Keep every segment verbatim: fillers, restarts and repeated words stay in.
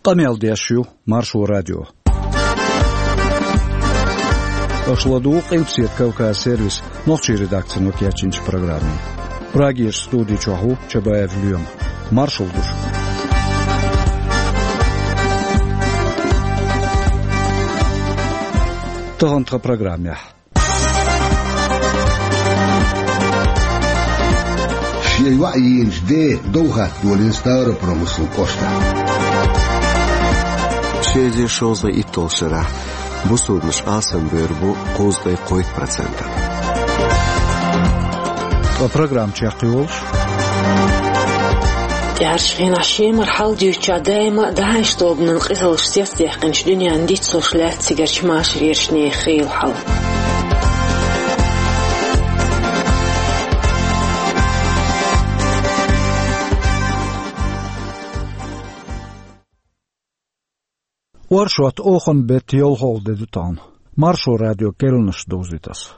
Къамел деш ю Маршо радио. Аша ладугӀу Къилбаседа Кавказ сервисан нохчийн редакцино кечйинчу программе. Прагерчу студи чохь ву Чабаев Лоьма. Маршалла ду шуьга. Тахана тхан программехь. Шен йоӀ йийначу ден дов хатта долийна Ставропольскан кӀоштахь. Ши эзар шовзткъе итталгӀачу шарахь бусулбанаш алсамбевр бу кхузткъе кхойтта процентана. Ткъа программа чекхйолуш. ТӀаьхьарчу хенахь Шемара хьал дуьйцучохь даима а ДАИШ тобанан къизаллаш цецдаьккхинчу дуьненна дицлуш лаьтта цигарчу машарерчу нехан хийла хьал. Оршот оханан беттан ялхалгӀа де ду тахана. Маршо радион керланаш довзуьйту аса.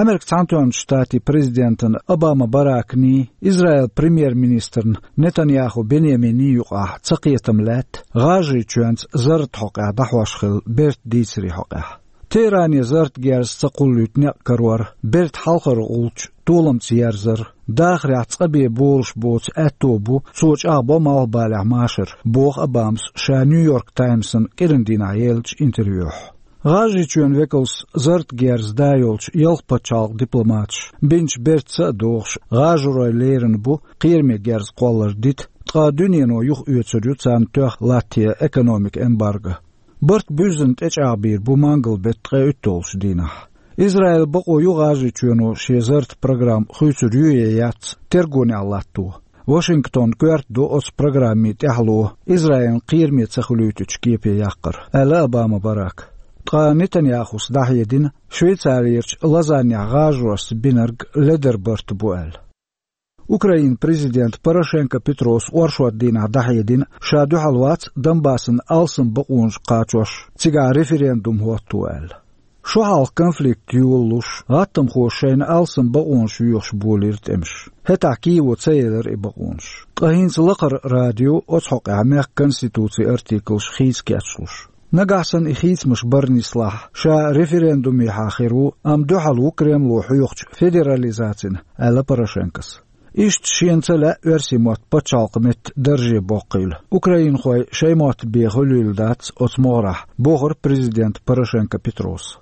Америкин Цхьаьнатоьхначу Штатийн президентан Обама Бараканий, Израилан премьер-министран Нетаньяху Беньяминий юкъахь цакхетам лаьтта ГӀажарийчоьнца зарратан хьокъехь дӀахьош хилла бертан дийцарийн хьокъехь. Теъране зарратан герз ца кхуллуьйту некъ карор, берта хьалхара гӀулч толамца ерзар, дахарехь цкъа бен болуш боцу аьтто бу, цо чӀагӀбо малхбалехь машар, боху Обамас ша Нью-Йорк Таймсана кӀиран дийнахь еллачу интервьюхь. ГӀажарийчоьнан векалш зарратан герз да йолчу ялх пачхьалкхан дипломаташ бинчу бертаца а догӀуш, гӀажарой лерина бу кхераме герз кхоллар дита, ткъа дуьнено юхаоьцур ю царна тоьхна латто экономикан эмбарго. Барт буьззина тӀечӀагӀбийр бу мангал-беттан ткъе уьтталгӀачу дийнахь. Израилан бакъо ю ГӀажарийчоьно шен зарратан программа хуьйцур ю я яц тергонехь латто. Вашингтон коьрта ду оцу программин тӀаьхьало Израилна кхераме ца хуьлуьйтучу кепе яккхар, аьлла Обама Барака. Ткъа Нетаньяхус дӀахьедина, Швейцарерчу Лозаннехь гӀажаршца бинарг ледара барт бу аьлла. Украинан президента Порошенко Петрос оршот дийнахь дӀахьедина, ша дуьхьал вац Донбассан алсам бакъонаш кхачош, цигахь референдум хӀотто аьлла. Шо хьалха конфликт йолалуш, гӀаттамхоша шайна алсам бакъонаш йоьхуш болийра тӀемаш. ХӀетахь Киево ца елира и бакъонаш. Ткъа хӀинца лакхара радио оцу хьокъехь мехкан конституцин артиклаш хийца кечлуш. Нагахь санна и хийцамаш бара нислахь, ша референдумехьа хир ву, амма дуьхьал ву Кремло хьоьхучу федерализацина, аьлла Порошенкос. Иштта шена ца лаьа оьрсийн мотт пачхьалкхан меттан дарже боккхийла. Украинхой шайн мотт бен хуьлийла дац оцу могӀарехь, бохура президента Порошенко Петрос.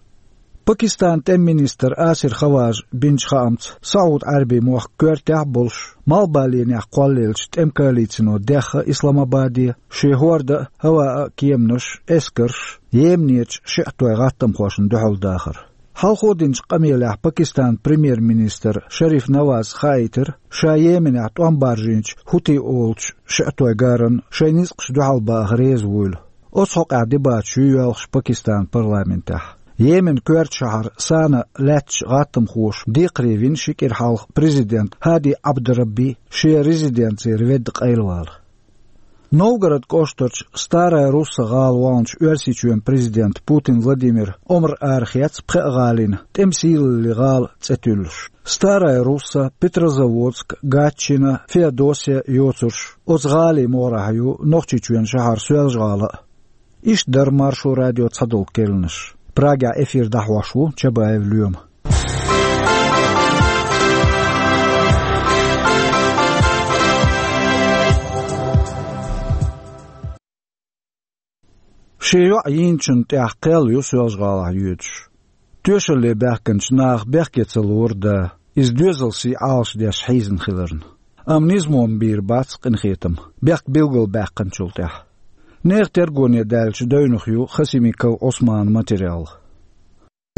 Пакистанан тӀеман министр Асир Хаважа бинчу хаамца, СаӀуд-Ӏаьрбийн мохк коьртехь а болуш, малхбаленехь кхоллаеллачу тӀеман коалицино дехна Исламабаде, шен хӀорда а, хӀаваан а кеманаш, эскарш, Йеменерчу шиӀитойн гӀаттамхошна дуьхьал дахар. Хьалхо динчу къамелехь Пакистанан премьер-министр Шариф Наваз хаийтира, ша Йеменехь тӀом баржийначу хӀути олучу шиӀитойн гарна шайн ницкъаш дуьхьал баха реза вуйла. Оцу хьокъехь дебаташ ю йоьлхуш Пакистанан парламентехь. Йеменан коьртачу шахьар Сана лаьттачу гӀаттамхоша декхаре вина ши кӀира хьалха президент Хьади Ӏабдурабби шен резиденцера ведда къайлавала. Новгород кӀоштарчу Старая Русса гӀала вахначу Оьрсийчоьнан президента Путин Владимира омра арахецна пхеа гӀалина, тӀеман сийлаллин гӀала цӀе туьллуш. Старая Русса, Петрозаводск, Гатчина, Феодосия йоцурш, оцу гӀалин могӀарехь ю Нохчийчоьнан шахьар Соьлжа-ГӀала а. Иштта дара Маршо радион цхьадолу керланаш. Прагехь эфир дӀахьош ву Чабаев Лоьма. Шен йоӀ йийначунна тӀехь кхел ю Соьлжа-ГӀалахь йоьдуш. Тоьшалле баьхкинчу наха бехке ца лору да, иза доьзал сий Ӏалашдеш хьийзина хиларна. Амма низамо ма бийр бац къинхетам, бехк билгалбаьккхинчул тӀаьхьа. Нехан тергоне даьллачу девнах ю Хасимиков Ӏусманан материал.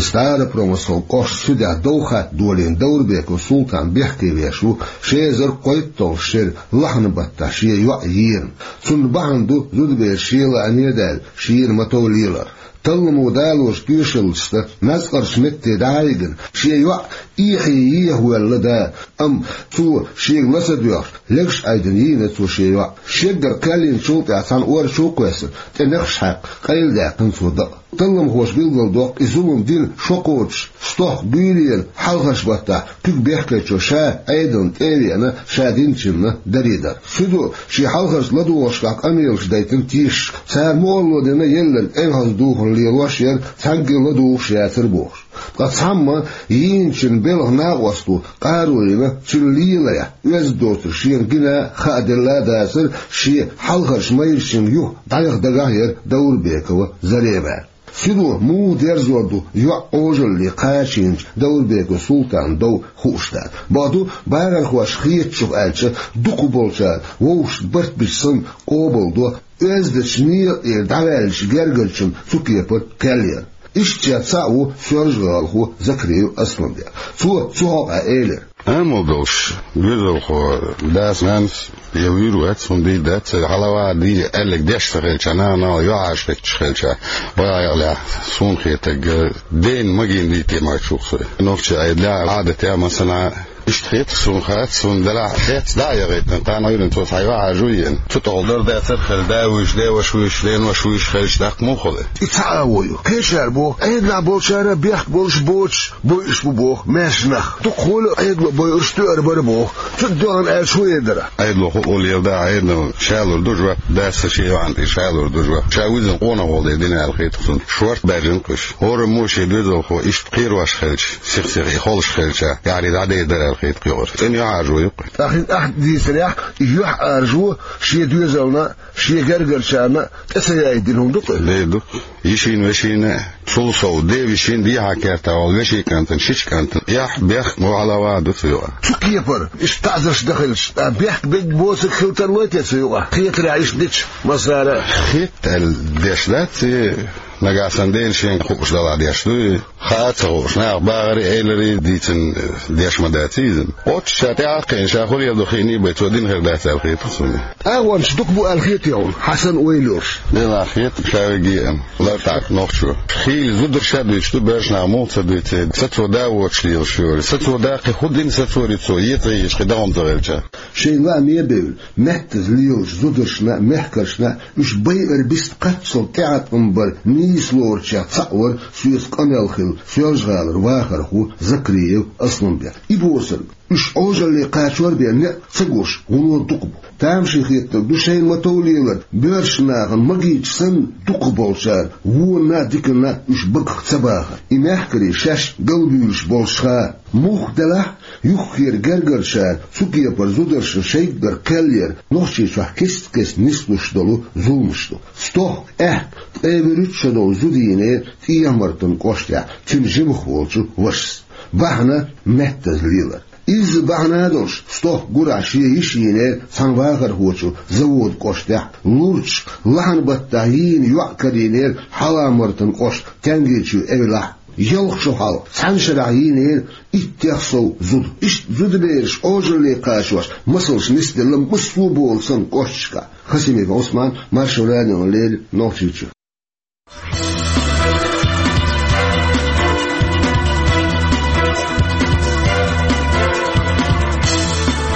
Старопромысловски кӀоштан суьдехь дов хатта долийна Даурбеков Султан бехке веш ву ши эзар кхойтталгӀачу шеран лахьанан баттахь шен йоӀ йийрна. Цунна бахьана ду зудабераш шен лааме а даьлла, шийра ма-тов лелар. Талламо далочу тоьшаллашца Нацкъарчу метте дӀа а йигна, шен йоӀ эхье ехавоьлла да, амма цо шега ла ца доьхна, легаш Ӏайдина йийна цо шен йоӀ. Шеггара кхел йинчул тӀаьхьа цхьана ор чу а кхоьссина, тӀе нехаш хьаькхна, къайладаьккхина цо дакъа. Талламхоша билгалдоккху и зулам дина шо кхочуш, стохка буьйлера хьалхарчу баттахь куьг бехкечо ша Ӏедална тӀе а веана, ша динчунна даре дар. Цуьнан шен хьалхарчу ладугӀушкахь къамелаш дайтина тешаш, цара мукъарло дина елларг тӀехьаза духар лелош яра, цхьаьнгге а ладугӀуш яцара бохуш. Ткъа цхьамма йийначун белхан накъосталла къаро йина, цуьнан леларехь оьзда доцург шена гина а, хааделла а дацара, шен хьалхарчу майрачуьнга юха дӀаяха дагахь яра Даурбекова Зарема. Цуьнан муха дерзор ду йоӀ Ӏожалле кхачийначу Даурбеков Султанан дов хууш дац. Бакъду, бахархошна хетачух аьлча, дукхахболчара вовшашна барт бича санна къобалдо оьздачу некъера дӀаваьллачу гергарчунна цу кепара кхел яр. Иштта цхьаъ ву соьлжа-гӀалахо Закриев Асланбек. Цо цу хьокъехь элира: Амал долуш, доьзалхо дас-нанас я вуьйр вац, хӀунда дац, хьалаваха дийр аьлларг деш ца хилча, нана-нана йоӀ Ӏаш хӀитташ хилча, бакъ а яхалехь, суна хетарг, дена магийна дийте ма чух со. Нохчийн Ӏедалехь, Ӏадатехь, масала, иштта хета суна, хац суна, делахь, хец дӀа а яхийтина, кхана Ӏуьйранна цо цхьа йоӀ Ӏаш ву йина. Цу тӀехула дар дацара хила, да вуьйш, деваш вуьйш, денош вуьйш хилча, даккха муха хуьлу? И цхьа а ву ю. Кхечара боху, Ӏедалехь болчара бехк болуш боцуш бойуш бу боху маьрша нах. Дукхахволу Ӏедало бойуш тоьар бара боху. Цу дуьхьал аьлча хӀун эр дара? Ӏедало хӀун олу ела да, Ӏедало ша лур ду жоп, дас шен йоӀана тӀе ша лур ду жоп. Ша вуьззина къонахвала дина аьлла хета суна. Шорта баьржина кхуьш. ХӀораммо шен доьзалхо иштта кхерош хилча, сих-сиха и холуш хилча, яхьаре дӀадер дара аьлла хета кхуьгара. ЦӀена йоӀ Ӏаш ву ю кхуьгара. ТӀаккха хӀинца ахь дийцарехь, йоӀ Ӏаш ву шен доьзална, шен гергарчарна тӀе ца яйта дина хӀума ду-кх? Де ду. Йишина, вешина, цул сов, ден-вешин дехьа-кертахь волу вешин кӀантана, шича кӀантана эхь, бехк, мухӀалава ду цу юкъа. Цу кепара, иштта таӀзарш дан хилча, бехк бегга боцург хила тарлой те цу юкъа? Хетарехь иштта дича, масала. Хетта аьлла деш дац, и нагахь санна дена шен хууш далахь деш ду и. Хаа а ца хууш, наха бахарий, эларий дийцина деш ма дац иза. Оццу ша тӀаьхьа а кхиъна, ша хӀун леладо хиъний бен, цо дина хир дац аьлла хета суна. ТӀагӀончаш дукха бу аьлла хетий хьуна, хьан санна ойла йолуш? Делахь хета ша веге а, лартӀахь нохчо. Хийла зударша а дуьйцуш ду, боьрша наха муха ца дуьйцу, сацо да воцуш лелаш йолу. Сацо да кхин хӀун дина сацоре цо, е ца езаш кхин дагӀма ца хилча. Шайн лааме а бевлла, меттаза лелачу зударшна а, мехкаршна а уьш байар бист кхаччалц тӀеӀаткъам бар нийса лоручех цхьаъ вара соьца къамел хилла Соьлжа-ГӀалара вахархо Закриев Асланбек. И босург, уьш Ӏожалле кхачор бен некъ ца гуш, гӀуллакх дукха бу. Тамашийна хетарг ду шайна ма-тов лелар, боьрша нахана магийча санна, дукхахболчара вонна а, диканна а уьш багах ца бахар. И мехкарий шаьш галбуьйлуш болуш хаа. Муха делахь, юххера гергарчара цу кепара зударшна шайггара кхел яр Нохчийчохь кест-кеста нислуш долу зуламаш ду. Стохка, аьхка, ткъе вуьрхӀитта шо долу зуда йийнера ТӀехьа-Мартан кӀоштехь цуьнан жимах волчу вашас. Бахьана меттаза лелар. Изза бахьана а долуш, стохка гурахь шен йиша йийнера цхьана вахархочо Завода кӀоштехь, лурчу лахьан баттахь йийна йоӀ карийнера Хьала-Мартан кӀоштан Тянгичу эвлахь. Ялх шо хьалха цхьана шарахь йийнера иттех сов зуда. Иштта зудабераш Ӏожалле кхачош масалш нисделла массо а болу санна кӀошташкахь. Хасимиков Ӏусман, Маршо радиона леррина, Нохчийчоь.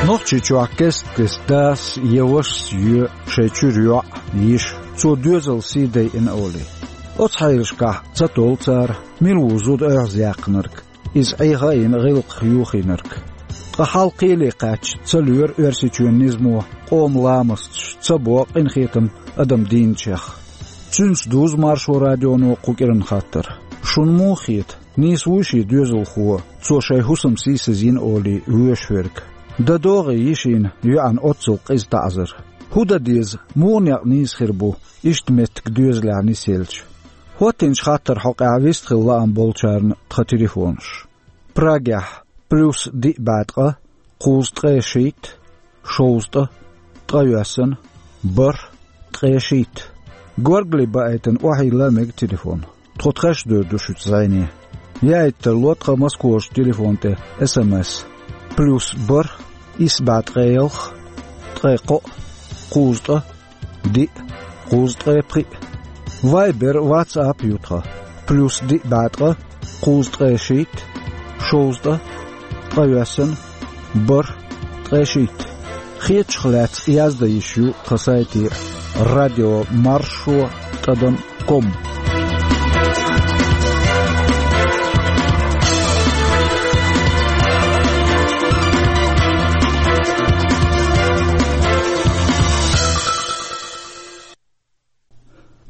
Нохчийчохь кест-кеста дас я вашас йоь шайн чуьра йоӀ, йиша, цо доьзал сий дайина олий. Оцу хьелашкахь ца толу цара, мила ву зуда оьгӀазъяьккхинарг, иза Ӏеха а йина, гӀиллакхах юхийнарг. Ткъа хьал кхеле кхаьчча, ца лоьру Оьрсийчоьнан низамо къоман ламасташ ца бо къинхетам адам дийначех. Цуьнца дузу Маршо радионо кху кӀиран хаттар. Шуна муха хета, нийса вуй шен доьзалхо, цо шайн хӀусам сийсазйина олий, воьшуш верг? Дан догӀий йишина, йоьӀна оццул къиза таӀзар? ХӀун дан деза, муха некъ нийса хир бу, иштта меттиг доьзалехь нисъелча? ХӀоттийначу хаттаран хьокъехь вистхила лаам болчарна тхан телефонаш. Прагехь: плюс диъ бӀе ткъа, кхузткъе шийтта, шовзткъа, ткъайоьсна, бархӀ, ткъе шийтта. Горгали баийтина охьайилла мега телефон. Тхо тхаьш а дер ду шуьца зӀене. Яийта тарло тхан Москварчу телефон тӀе СМС: плюс бархӀ, исс бӀе ткъе ялх, ткъе кхоъ, кхузткъа, диъ, кхузткъе пхиъ. Вайбер, ватсап ю тхан: плюс диъ бӀе ткъа, кхузткъе шийтта, шовзткъа, ткъайоьсна, бархӀ, ткъе шийтта. Хетачух лаьцна яздан йиш ю тхан сайте: радио маршо тӀадам ком.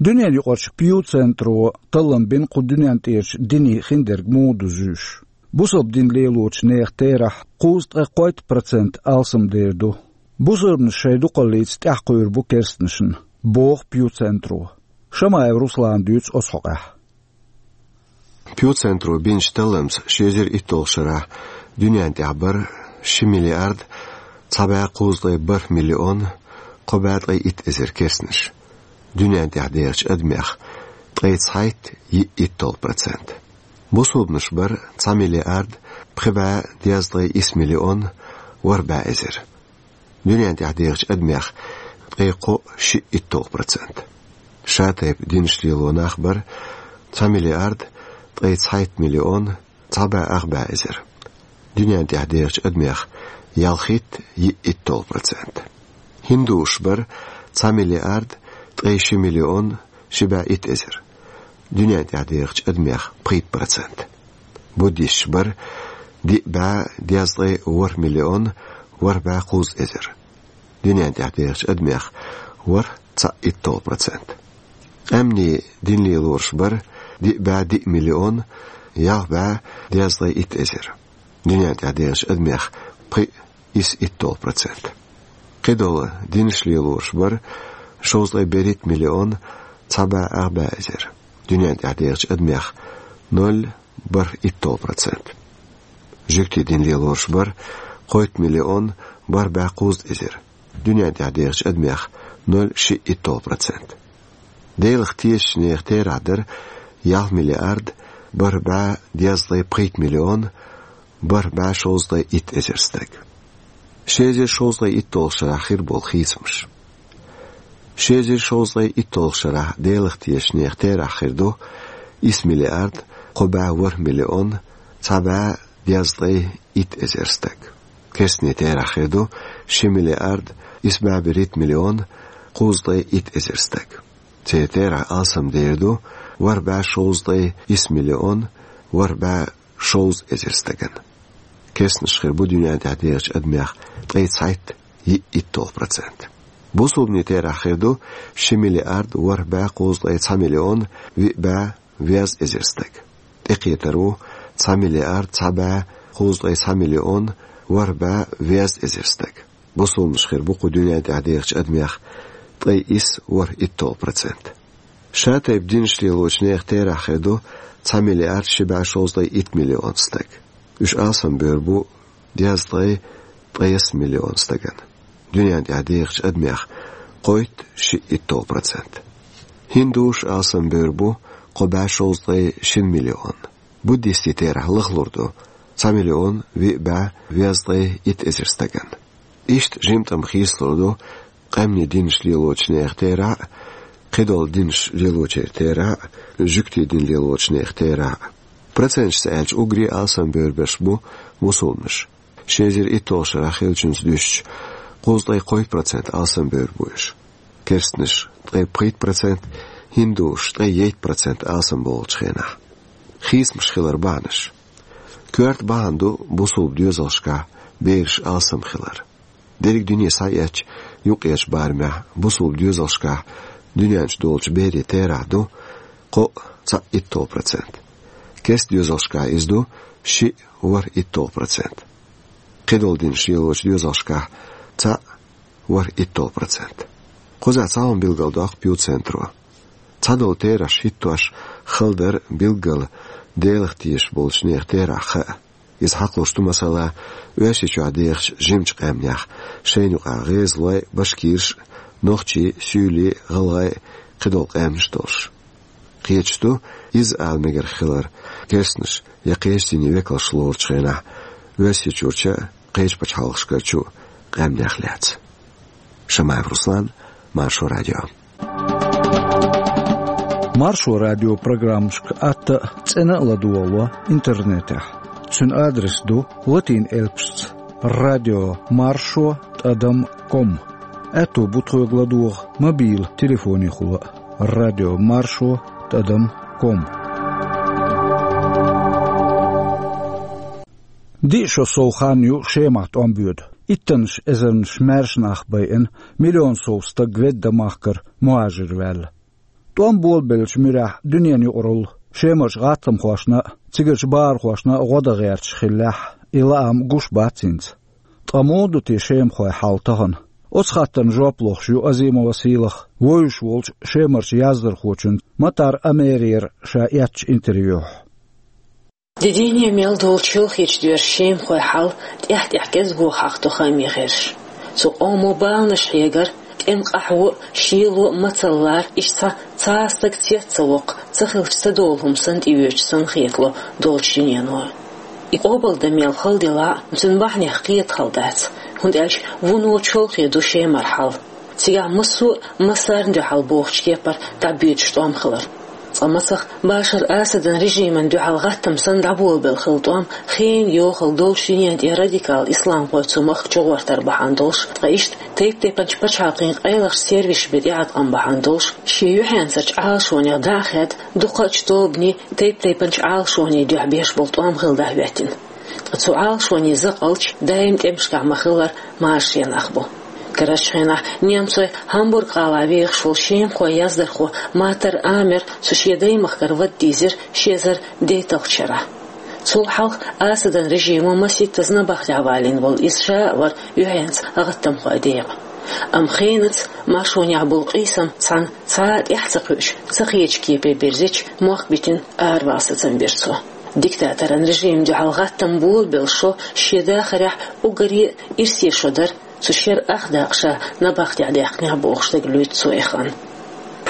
Дуьненаюкъарчу Пью-центро таллам бина кху дуьнен тӀерачу динийн хиндерг муха ду зуьйш. Бусалба дин лелочу нехан терахь кхузткъе кхойтта процент алсамдер ду. Бусалбанаш шайн дукхаллица тӀаьхьакхуьур бу керстанашна, боху Пью-центро. Шамаев Руслана дуьйцу оцу хьокъехь. Пью-центро бинчу талламца ши эзар итталгӀачу шарахь дуьнен тӀехь бара ши миллиард цхьа бӀе кхузткъе бархӀ миллион кхо бӀе ткъе итт эзар керстанаш. Дуьнен тӀехь дехачу адамех ткъе цхьайтта йиъ итталгӀа процент. Бусалбанаш бара цхьа миллиард пхи бӀе дезткъе исс миллион ворхӀ бӀе эзар. Дуьнен тӀехь дехачу адамех ткъе кхоъ шиъ итталгӀа процент. Шатайпа динаш лело нах бара цхьа миллиард ткъе цхьайтта миллион цхьа бӀе ах бӀе эзар. Дуьнен тӀехь дехачу адамех ялхитта йиъ итталгӀа процент. Хиндушаш бара цхьа миллиард ткъе ши миллион ши бӀе итт эзар. Дуьнен тӀехь дехачу адамех пхийтта процент. Буддисташ бара диъ бӀе дезткъе ворхӀ миллион ворхӀ бӀе кхузткъа эзар. Дуьнен тӀехь дехачу адамех ворхӀ цхьаъ итталгӀа процент. Къаьмнийн дин лелораш бара диъ бӀе диъ миллион ялх бӀе дезткъе итт эзар. Дуьнен тӀехь дехачу адамех пхиъ исс итталгӀа процент. Кхидолу динаш лелораш бара шовзткъе берхӀитта миллион цхьа бӀе ах бӀе эзар. Дуьнен тӀехь дехачу адамех ноль бархӀ итталгӀа процент. Жуьгтийн дин лелораш бара кхойтта миллион бархӀ бӀе кхузткъа эзар. Дуьнен тӀехь дехачу адамех ноль шиъ итталгӀа процент. Делах тешачу нехан терахь дара ялх миллиард бархӀ бӀе дезткъе пхийтта миллион бархӀ бӀе шовзткъе итт эзар стаг. Ши эзар шовзткъе итталгӀачу шарахь хир болу хийцамаш. Ши эзар шовзткъе итталгӀачу шарахь Делах тешачу нехан терахь хир ду исс миллиард кхо бӀе ворхӀ миллион цхьа бӀе дезткъе итт эзар стаг. Керстанийн терахь хир ду ши миллиард исс бӀе берхӀитта миллион кхузткъе итт эзар стаг. Церан терахь алсамдер ду ворхӀ бӀе шовзткъе исс миллион ворхӀ бӀе шовзткъа эзар стагана. Керстанаш хир бу дуьнен тӀехь дехачу адамех ткъе цхьайтта йиъ итталгӀа процент. Бусалбанийн терахь хир ду ши миллиард ворхӀ бӀе кхузткъе цхьа миллион виъ бӀе везткъа эзар стаг. ТӀекхетар ву цхьа миллиард цхьа бӀе кхузткъе цхьа миллион ворхӀ бӀе везткъа эзар стаг. Бусалбанаш хир бу кху дуьнен тӀехь дехачу адамех ткъе исс ворхӀ итталгӀа процент. Шатайпа динаш лелочу нехан терахь хир ду цхьа миллиард ши бӀе шовзткъе итт миллион стаг. Уьш алсамбевр бу дезткъе ткъайесна миллион стагана. Дуьнен тӀехь дехачу адамех кхойтта шиъ итталгӀа процент. Хиндушаш алсамбевр бу кхо бӀе шовзткъе шина миллион. Буддистийн терахь лахлур ду цхьа миллион виъ бӀе везткъе итт эзар стагана. Иштта жимтӀам хийцалур ду къаьмнийн динаш лелочу нехан терахь а, кхидолу динаш лелочеран терахь а, жуьгтийн дин лелочу нехан терахь а. Проценташца аьлча, уггаре а алсамбевр берш бу мусулманаш. Ши эзар итталгӀачу шарахь хиллачуьнца дуьстича, кхузткъе кхойтта процент алсамбевр бу уьш. Керстанаш ткъе пхийтта процент, хиндушаш ткъе ейтта процент алсамбовлучу хенахь. Хийцамаш хилар бахьанаш. Коьрта бахьана ду бусулба доьзалшкахь бераш алсам хилар. Дерриг дуьне схьаэцча, юккъерчу барамехь бусулба доьзалшкахь дуьнен чу долчу берийн терахь ду кхоъ цхьаъ итталгӀа процент. Керста доьзалшкахь иза ду шиъ ворхӀ итталгӀа процент. Кхидолу динаш лелочу доьзалшкахь цхьаъ ворхӀ итталгӀа процент. Кхузахь цхьа хӀума билгалдоккху Пью-центро. Цхьадолу терахьаш хӀиттош хала дара билггала Делах тешаш болчу нехан терахь хаа. Иза хьакхалуш ду, масала, Оьрсийчохь дехачу жимачу къаьмнех, шайна юкъахь гӀезалой, башкираш, нохчий, суьйлий, гӀалгӀай, кхидолу къаьмнаш долуш. Кхеташ ду иза ала мегар хилар керстанаш я кхечу динийн векалш лоручу хенахь Оьрсийчуьрчу а, кхечу пачхьалкхашкарчу а къаьмнех лаьцна. Шамаев Руслан, Маршо радио. Маршо радио программашка атта а, цӀена а ладогӀало интернетехь. Цуьнан адрес ду латин элпашца: радио маршо тӀадам ком. Аьтто бу тхоьга ладогӀа мобил телефонехула а: радио маршо тӀадам ком. Диъ шо сов хан ю Шемахь тӀом боьду. Иттаннаш эзарнаш маьрша нах байина, миллион сов стаг ведда махкара мухӀажир ваьлла. ТӀом болабеллачу муьрехь дуьненан юкъаралла, Шемарчу гӀаттамхошна а, цигарчу бахархошна а гӀо дан гӀерташ хиллехь, и лаам гуш бац хӀинца. Ткъа муха ду те шемахойн хьал тахана? Оцу хаттарна жоп лохуш ю Азимова Сийлаха вевзаш волчу шемарчу яздархочуьнца Матар Амерера ша эцначу интервьюхь. Де-дийне мел долчу чолхечу доьзалан шемахойн хьал тӀаьхь-тӀаьхьа кӀезиго хьахадо хааман гӀирсаша. Цу къомо баланаш хьегар, тӀеман къахьо а, шело а, мацалла лара, иштта цхьа а стаг цец ца воккху, ца хилча ца долу хӀума санна тӀеоьцуш санна хетало долчу дуьнено. И къобалдан мел хала делахь а, цуьнан бахьанех кхета хала дац, хӀунда аьлча вуно чолхе ду шемаран хьал. Цигахь массо а массарна дуьхьал бохучу кепара дӀабоьдуш тӀом хилар. Цкъа мацах Башар Асадан режимана дуьхьал гӀаттам санна дӀаболабелла хилла тӀом хенан йохалла долчу дуьнен тӀе радикал исламхой цу махка чугӀортар бахьана долуш, ткъа иштта тайп-тайпанчу пачхьалкхийн къайлахчу сервисаша бен тӀеӀаткъам бахьана долуш, шен юьхьенцарчу Ӏалашонех дӀа а хаьдда, дукхачу тобанийн, тайп-тайпанчу Ӏалашонийн дуьхьа беш болу тӀом хилла дӀахӀоьттина. Ткъа цу Ӏалашонийн закъалча даим тӀемашкахь ма-хиллара марша нах бу. Карарчу хенахь немцойн Гамбург-гӀалахь вехаш волу шемахойн яздархо Матар Амер цу шен даймахкара вада дийзира ши эзар дейтталгӀачу шарахь. Цул хьалха Асадан режимо масийттаза набахтехь валийна волу иза ша а вара юьхьенца гӀаттамхойн декъан. Амма хенаца маршонехь болу къийсам цхьана цхьа а тӀаьхьа ца кхуьуш, ца хетачу кепе бирзича, мохк битина аравала сацам бира цо. Диктаторан режимна дуьхьал гӀаттам болабелла шо шен дахарехь уггаре а ирсе шо дара, цу шеран ах дакъа ша набахтехь даьккхинехь бохуш дага луьйцу цо и хан.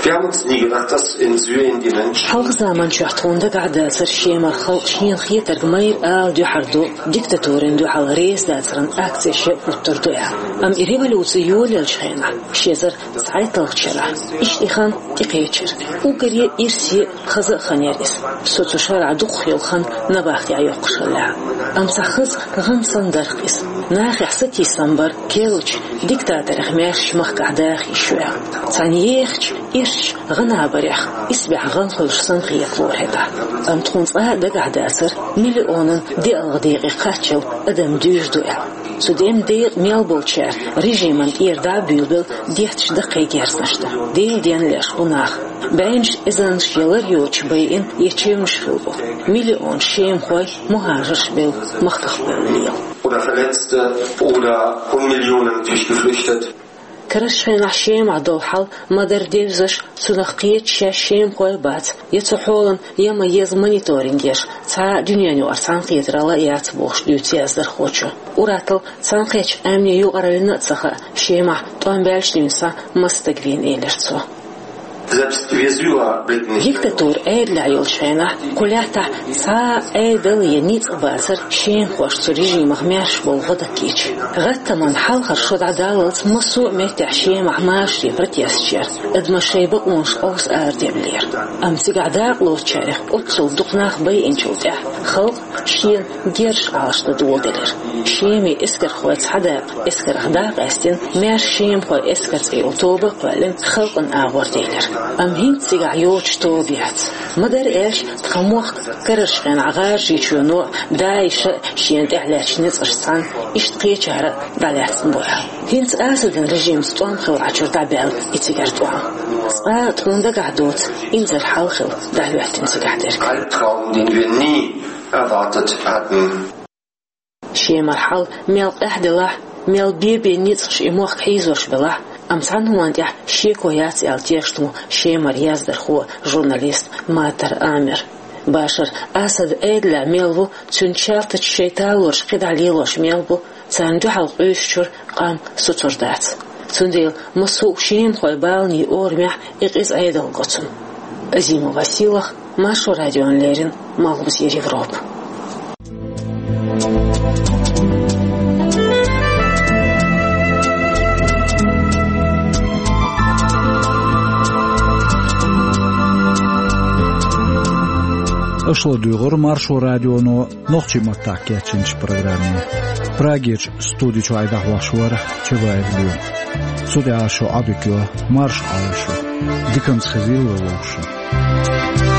Wir haben uns nie gedacht, dass in Syrien die Menschen Хьалха заманчохь тхуна дагахь дацара шемара халкъ шена хетарг майра ала дуьхьал ду, диктатурина дуьхьал реза дацаран акцеш а хӀуттур ду аьлла. Амма и революци йолаеллачу хенахь, ши эзар цхьайтталгӀачу шарахь, иштта и хан тӀекхечира. Уггаре а ирсе а, хаза а хан яра иза. Со цу шарахь дукхах йолу хан набахтехь йоккхуш хиллехь а. Амма цхьа хаза гӀан санна дара-кх иза. Нахехь сатийсам бара, керлачу диктаторех маьрша махкахь даха йиш ю аьлла. Цхьана ехачу ирчачу гӀанабарех исбаьхьа гӀан хуьлуш санна хетало хӀетахь. Амма тхуна цкъа а дагахь дацара миллионан деалгӀа декъе кхаччалла адам дуьйжу ду аьлла. Цу деман декъа мел болчара режимана тӀера дӀа а буьйлабелла детташ даккхий герзнаш ду. Делан денна леш бу нах. БӀеннаш эзарнаш я лар йоцуш байина я чевнаш хилла бу. Миллионаш шемахой, мухӀажарш бевлла, махках бевлла лела. Oder Verletzte oder von Millionen natürlich geflüchtet. Карарчу хенахь Шемахь долу хьал ма-дарра девзаш, цунах кхеташ шаьш шемахой бац, я цу хьолан, я ма-езза мониторинг еш, цхьа а дуьненан юкъара цхьаьнакхетаралла а яц бохуш дуьйцу яздархочо. Ур-атталла цхьаьнакхеттачу Ӏаьмнийн юкъараллина а ца хаьа, Шемахь тӀом баьлча дийна схьа маса стаг вийна элира цо. Selbst wir selber blicken nicht. Диктатура Ӏедалехь йолчу хенахь, кху лаьттахь цхьа а Ӏедал я ницкъ бацара шемахошна цу режимах маьрша болу гӀо даккхийча. ГӀаттаман хьалхара шо дӀадаллалц массо а меттехь Шемахь машарий протесташ яра, адамаш шайн бакъонаш къовса арадевллера. Амма цигахь дакъалоцучарех оццул дукха нах байинчул тӀаьхьа халкъ шена герзаш Ӏалашдан доладелира. Шеман эскархой цхьа дакъа эскарх дӀа а къаьстина, маьрша шемахойн эскар цӀе йолу тоба а кхоьллина, халкъана агӀор делира. Амма хӀинца цигахь йоцуш тоба яц. Ма-дарра аьлча, тхан мохк карарчу хенахь ГӀажарийчоьно а, ДАИШа а шена тӀехь лаьттачу ницкъашца цхьаьна иштта кхечара а дӀалаьцна бу аьлла. ХӀинца Асадан режимца тӀом хилла Ӏачуьра дӀабаьлла и цигара тӀом. Цкъа а тхуна дагахь доцу инзаре хьал хилла дӀахӀоьттина цигахь дерг. Albtraum, den wir nie erwartet hatten. Шемара хьал мел къаьхьа делахь а, мел бен-бен ницкъаш и мохк хьийзош белахь а, амма цхьана хӀуманна тӀехь шеко яц аьлла тешна ву Шемара яздархо, журналист Матар Амер. Башар Асад Ӏедалехь мел ву, цуьнан чалтачу шайн талораш кхидӀа лелош мел бу, царна дуьхьал къуьйсучуьра къам соцур дац. Цундела массо а шемахойн баланийн орамехь и къиза Ӏедал го цунна. Азимова Сийлаха, Маршо радиона леррина, Малхбузера Европа. Аша ладуьйгӀира Маршо радионо нохчийн маттахь кечйинчу программе. Прагерчу студи чуьра дӀахьош вара Чабаев Лима. Цу тӀехь шун Ӏодика йо, марша Ӏойла шу. Диканца хезийла вовшашна.